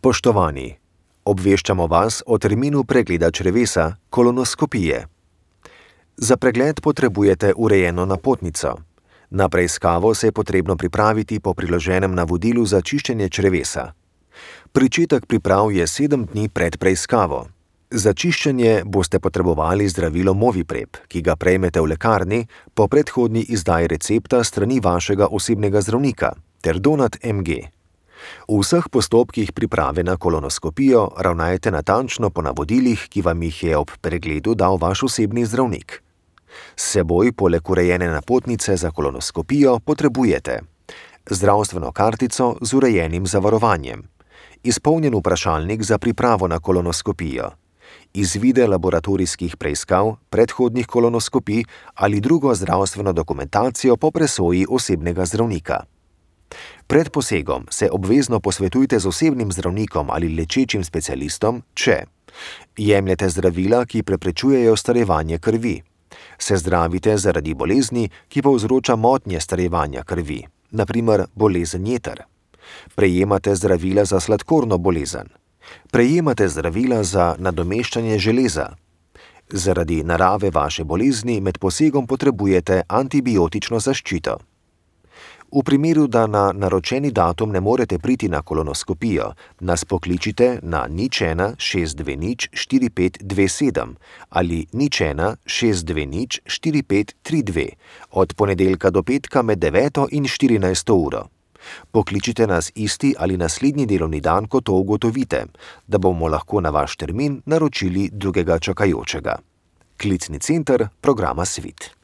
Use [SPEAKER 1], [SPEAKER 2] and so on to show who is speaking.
[SPEAKER 1] Spoštovani, obveščamo vas o terminu pregleda črevesa, kolonoskopije. Za pregled potrebujete urejeno napotnico. Na preiskavo se je potrebno pripraviti po priloženem navodilu za čiščenje črevesa. Pričetek priprav je 7 dni pred preiskavo. Za čiščenje boste potrebovali zdravilo Moviprep, ki ga prejmete v lekarni po predhodni izdaji recepta strani vašega osebnega zdravnika, ter Donat MG. V vseh postopkih priprave na kolonoskopijo ravnajte natančno po navodilih, ki vam jih je ob pregledu dal vaš osebni zdravnik. S seboj poleg urejene napotnice za kolonoskopijo potrebujete zdravstveno kartico z urejenim zavarovanjem, izpolnjen vprašalnik za pripravo na kolonoskopijo, izvide laboratorijskih preiskav, predhodnih kolonoskopij ali drugo zdravstveno dokumentacijo po presoji osebnega zdravnika. Pred posegom se obvezno posvetujte z osebnim zdravnikom ali lečečim specialistom, če jemljete zdravila, ki preprečujejo starevanje krvi, se zdravite zaradi bolezni, ki povzroča motnje starevanja krvi, na primer bolezen jeter, prejemate zdravila za sladkorno bolezen, prejemate zdravila za nadomeščanje železa. Zaradi narave vaše bolezni med posegom potrebujete antibiotično zaščito. V primeru, da na naročeni datum ne morete priti na kolonoskopijo, nas pokličite na 01 620 4527 ali 01 620 4532 od ponedeljka do petka med 9 in 14 uro. Pokličite nas isti ali naslednji delovni dan, ko to ugotovite, da bomo lahko na vaš termin naročili drugega čakajočega. Klicni center programa Svit.